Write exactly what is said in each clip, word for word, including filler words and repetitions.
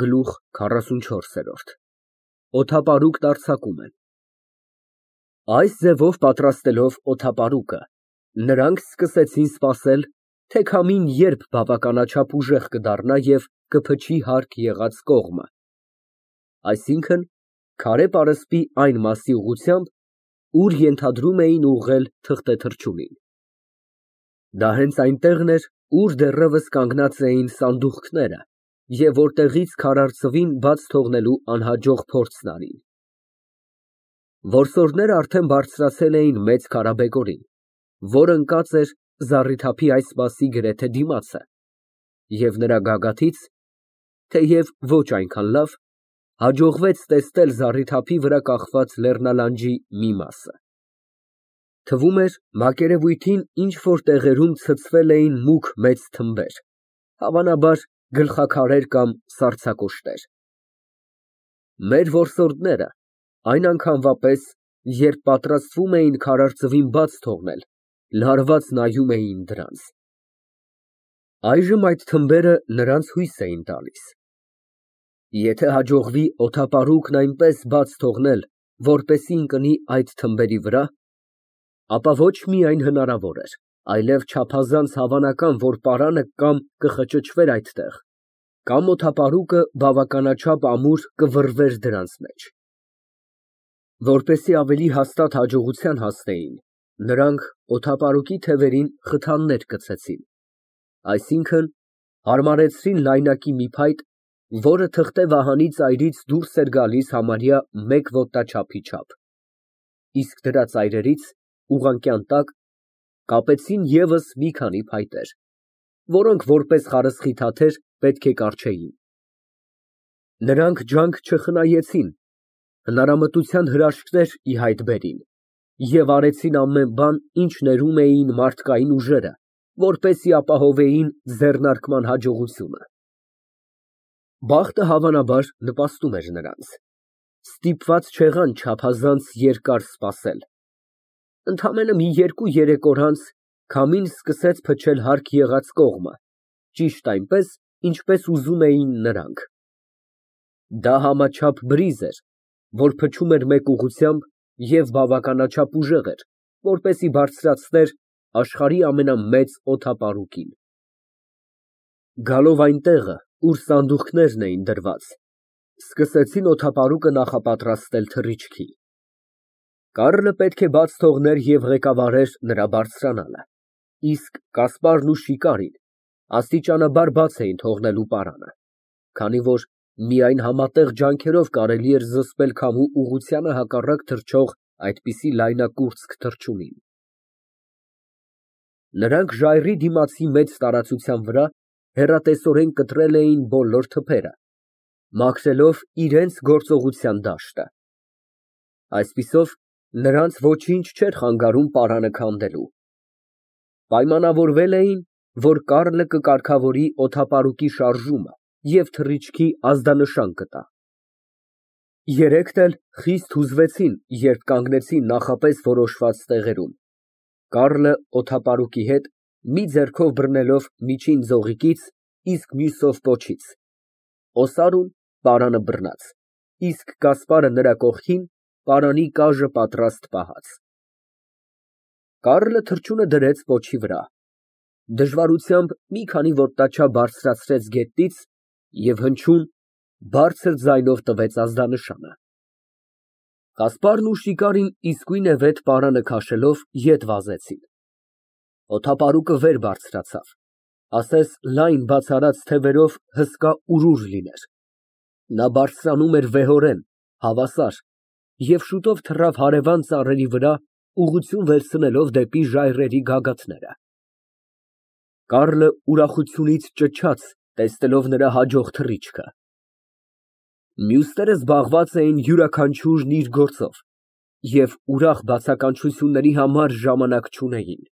Գլուխ քառասունչորս։ Օդապարուկն արձակում են։ Այս ձևով պատրաստելով օդապարուկը, նրանք սկսեցին սպասել, թե քամին երբ բավականաչափ ուժեղ կդառնա և կփչի հարկ եղած կողմը, այսինքն՝ քարե պարսպի այն մասի ուղղությամբ, ուր ենթադրում էին ուղղել թղթե թռչունին։ Դա հենց այնտեղն էր, ուր դեռևս կանգնած էին սանդուղքները և որտեղից քարայրձվին բաց թողնելու անհաջող փորձն արին։ Որսորդներն արդեն բարձրացել էին մեծ քարաբեկորին, որ ընկած էր զառիթափի այս մասի գրեթե դիմացը, և նրա գագաթից, թեև ոչ այնքան լավ, հաջողվեց տեսնել զառիթափի վրա կախված լեռնալանջի մի մասը։ Թվում էր մակերևույթին ինչ֊որ տեղերում ցցվել էին մուգ մեծ թմբեր, հավանաբար գլխաքարեր կամ սառցակոշտեր։ Մեր որսորդները այն անգամվա պես, երբ պատրաստվում էին քարայրձվին բաց թողնել, լարված նայում էին դրանց։ Այժմ այդ թմբերը նրանց հույս էին տալիս։ Եթե հաջողվի օդապարուկն այնպես բաց թողնել, որպեսզի ընկնի այդ թմբերի վրա, ապա ոչ միայն հնարավոր էր, այլև չափազանց հավանական, որ պարանը կամ կխճճվեր այդտեղ, կամ օդապարուկը բավականաչափ ամուր կվռվեր դրանց մեջ։ Որպեսզի ավելի հաստատ հաջողության հասնեին, նրանք օդապարուկի թևերին խթաններ կցեցին, այսինքն՝ հարմարեցրին լայնակի մի փայտ, որը թղթե վահանի ծայրից դուրս էր գալիս համարյա մեկ ոտնաչափի չափ, իսկ դրա ծայրերից, ուղղանկյան տակ, կապեցին ևս մի քանի փայտեր, որոնք որպես խարսխիթաթեր պետք է կառչեին։ Նրանք ջանք չխնայեցին, հնարամտության հրաշքներ ի հայտ բերին և արեցին ամեն բան, ինչ ներում էին մարդկային ուժերը, որպեսզի ապահովեին ձեռնարկման հաջողությունը։ Բախտը, հավանաբար, նպաստում էր նրանց։ Ստիպված չեղան չափազանց երկար սպասել։ Ընդամենը մի երկու֊երեք օր անց քամին սկսեց փչել հարկ եղած կողմը, ճիշտ այնպես, ինչպես ուզում էին նրանք։ Դա համաչափ բրիզ էր, որ փչում էր մեկ ուղղությամբ և բավականաչափ ուժեղ էր, որպեսզի բարձրացներ աշխարհի ամենամեծ օդապարուկին։ Գալով այն տեղը, ուր սանդուղքներն էին դրված, սկսեցին օդապարուկը նախապատրաստել թռիչքի։ Կառլը պետք է բաց թողներ և ղեկավարեր նրա բարձրանալը, իսկ Կասպարն ու Շիկարին աստիճանաբար բաց էին թողնելու պարանը, քանի որ միայն համատեղ ջանքերով կարելի էր զսպել քամու ուղղությանը հակառակ թռչող այդպիսի լայնակուրծք թռչունին։ Նրանք ժայռի դիմացի մեծ տարածության վրա հեռատեսորեն կտրել էին բոլոր թփերը, մաքրելով իրենց գործողության դաշտը։ Այսպիսով, նրանց ոչինչ չէր խանգարում պարանը քանդելու։ Պայմանավորվել էին, որ Կառլը կկարգավորի օդապարուկի շարժումը և թռիչքի ազդանշան կտա։ Երեքն էլ խիստ հուզվեցին, երբ կանգնեցին նախապես որոշված տեղերում, Կառլը օդապարուկի հետ, մի ձեռքով բռնելով միջին ձողիկից, իսկ մյուսով պոչից, Օսարուն պարանը բռնած, իսկ Կասպարը նրա կողքին, պարանի կաժը պատրաստ պահած։ Կառլը թռչունը դրեց պոչի վրա, դժվարությամբ մի քանի ոտնաչափ բարձրացրեց գետնից և հնչյուն, բարձր ձայնով տվեց ազդանշանը։ Կասպարն ու Շիկարին իսկույնևեթ պարանը քաշելով ետ վազեցին։ Օդապարուկը վեր բարձրացավ, ասես լայն բաց թևերով հսկա urուր լիներ։ Նա բարձրանում էր վեհորեն, հավասար և շուտով թռավ հարևան ծառերի վրա, ուղղություն վերցնելով դեպի ժայռերի գագաթները։ Կառլը ուրախությունից ճչաց, տեսնելով նրա հաջող թռիչքը։ Մյուսները զբաղված էին յուրաքանչյուրն իր գործով և ուրախ բացականչությունների համար ժամանակ չունեին։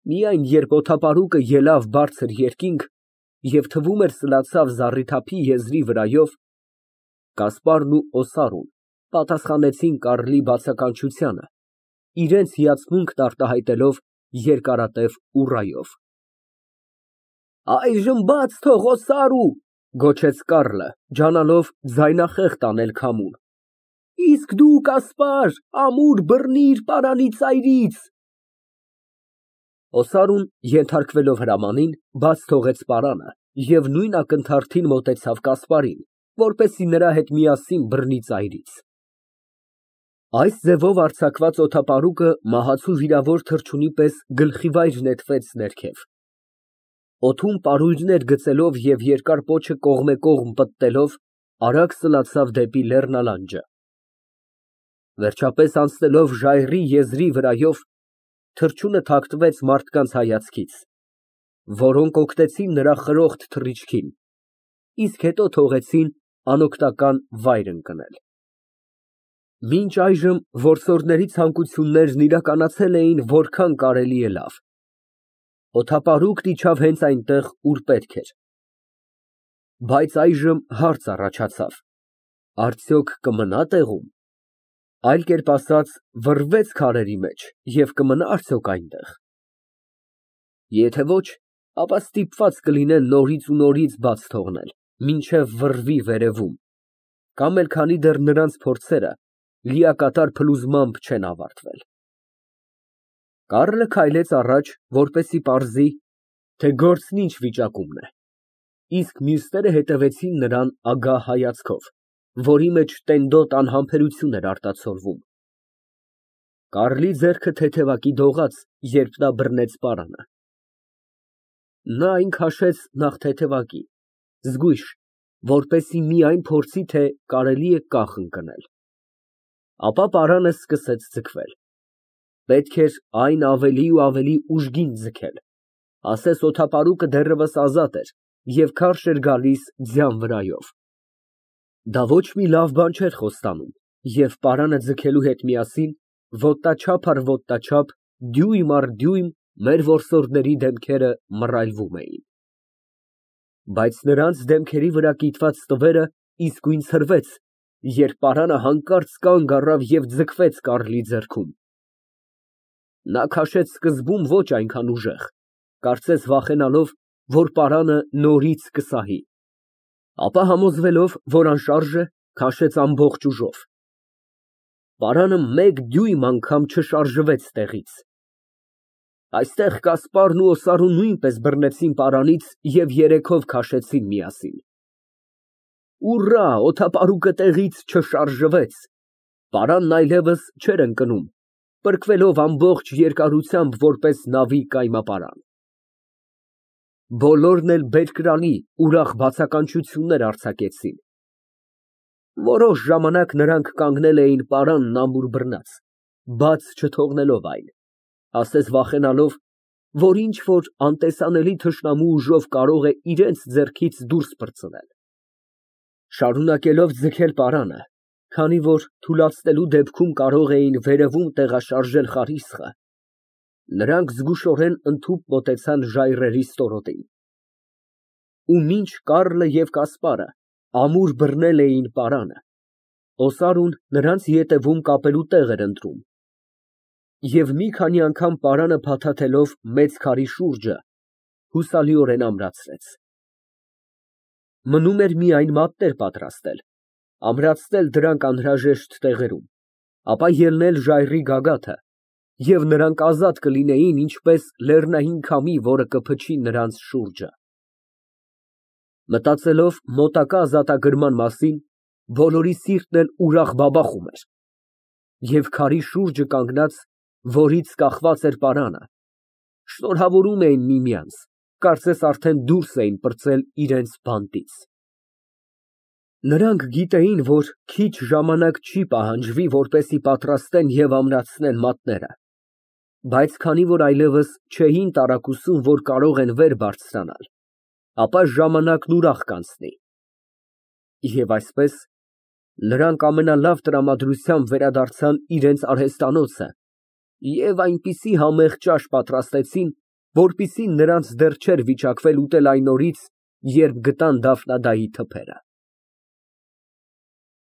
Միայն երբ օդապարուկը ելավ բարձր երկինք և թվում էր սլացավ զառիթափի եզրի վրայով, Կասպարն ու Օսարուն պատասխանեցին Կառլի բացականչությանը, իրենց հիացմունքն արտահայտելով երկարատև ուռայով։ Այժմ բաց թող, Օսարու, Գոչեց Կառլը, ջանալով ձայնախեղդ անել քամուն։ Իսկ դու, Կասպար, ամուր բռնիր պարանի ծայրից։ Օսարուն, ենթարկվելով հրամանին, բաց թողեց պարանը և նույն ակնթարթին մոտեցավ Կասպարին, որպեսզի նրա հետ միասին բռնի ծայրից։ Այս ձևով արձակված օդապարուկը մահացու վիրավոր թռչունի պես գլխիվայր նետվեց ներքև։ Օդում պարույրներ գցելով և երկար պոչը կողմեկողմ պտտելով, արագ սլացավ դեպի լեռնալանջը։ Վերջապես անցնելով ժայռի եզրի վրայով, թռչունը թաքնվեց մարդկանց հայացքից, որոնք օգնեցին նրա խրոխտ թռիչքին, իսկ հետո թողեցին անօգնական վայր ընկնել։ Մինչ այժմ որսորդների ցանկություններն իրականացել էին որքան կարելի է լավ։ Օդապարուկն իջավ հենց այնտեղ, ուր պետք էր։ Բայց այժմ հարց առաջացավ. արդյոք կմնա տեղում, այլ կերպ ասած, վռվեց քարերի մեջ և կմնա արդյոք այնտեղ։ Եթե ոչ, ապա ստիպված կլինեն նորից ու նորից բաց թողնել, մինչև վռվի վերևում, կամ էլ քանի դեռ նրանց փորձերը լիակատար փլուզմամբ չեն ավարտվել։ Կառլը քայլեց առաջ, որպեսզի պարզի, թե գործն ինչ վիճակումն է, իսկ մյուսները հետևեցին նրան ագահ հայացքով, որի մեջ տենդոտ անհամբերություն էր արտացոլվում։ Կառլի ձեռքը թեթևակի դողաց, երբ նա բռնեց պարանը։ Նա այն քաշեց նախ թեթևակի, զգույշ, որպեսզի միայն փորձի, թե կարելի է կախ ընկնել։ Ապա պարանը սկսեց ձգվել։ Պետք էր այն ավելի ու ավելի ուժգին ձգել, ասես օդապարուկը դեռևս ազատ էր և քարշ էր գալիս ձյան վրայով։ Դա ոչ մի լավ բան չէր խոստանում, և պարանը ձգելու հետ միասին, ոտնաչափ առ ոտնաչափ, դյույմ առ դյույմ մեր որսորդների դեմքերը մռայլվում էին։ Բայց նրանց դեմքերի վրա կիտված տվերը իսկույն ցրվեց, երբ պարանը հանկարծ կանգ առավ և ձգվեց Կառլի ձեռքում։ Նա քաշեց սկզբում ոչ այնքան ուժեղ, կարծես վախենալով, որ պարանը նորից կսահի, ապա համոզվելով, որ անշարժ է, քաշեց ամբողջ ուժով։ Պարանը մեկ դյույմ անգամ չշարժվեց տեղից։ Այստեղ Կասպարն ու Օսարուն նույնպես բռնեցին պարանից և երեքով քաշեցին միասին։ Ուռա, օդապարուկը տեղից չշարժվեց, պարանն այլևս չէր ընկնում, պրկվելով ամբողջ երկարությամբ որպես նավի կայմապարան։ Բոլորն էլ բերկրալի, ուրախ բացականչություններ արձակեցին։ Որոշ ժամանակ նրանք կանգնել էին պարանն ամուր բռնած, բաց չթողնելով այն, ասես վախենալով, որ ինչ֊որ անտեսանելի թշնամու ուժով կարող է իրենց ձեռքից դուրս պրծնել։ Շարունակելով ձգել պարանը, քանի որ թուլացնելու դեպքում կարող էին վերևում տեղաշարժել խարիսխը, նրանք զգուշորեն ընդհուպ մոտեցան ժայռերի ստորոտին։ Ու մինչ Կառլը և Կասպարը ամուր բռնել էին պարանը, Օսարուն նրանց ետևում կապելու տեղ էր ընտրում և մի քանի անգամ պարանը փաթաթելով մեծ քարի շուրջը, հուսալիորեն ամրացրեց։ Մնում էր միայն մատներ պատրաստել, ամրացնել դրանք անհրաժեշտ տեղերում, ապա ելնել ժայռի գագաթը, և նրանք ազատ կլինեին ինչպես լեռնային քամի, որը կփչի նրանց շուրջը։ Մտածելով մոտակա ազատագրման մասին, բոլորի սիրտն էլ ուրախ բաբախում էր, և քարի շուրջը կանգնած, որից կախված էր պարանը, շնորհավորում էին միմյանց, կարծես արդեն դուրս էին պրծել իրենց բանտից։ Նրանք գիտեին, որ քիչ ժամանակ չի պահանջվի, որպեսզի պատրաստեն և ամրացնեն մատները, բայց քանի որ այլևս չէին տարակուսում, որ կարող են վեր բարձրանալ, ապա ժամանակն ուրախ կանցնի։ Եվ այսպես, նրանք ամենալավ տրամադրությամբ վերադարձան իրենց արհեստանոցը և այնպիսի համեղ ճաշ պատրաստեցին, որպիսին նրանց դեռ չէր վիճակվել ուտել այն օրից, երբ գտան Դաֆնադայի թփերը։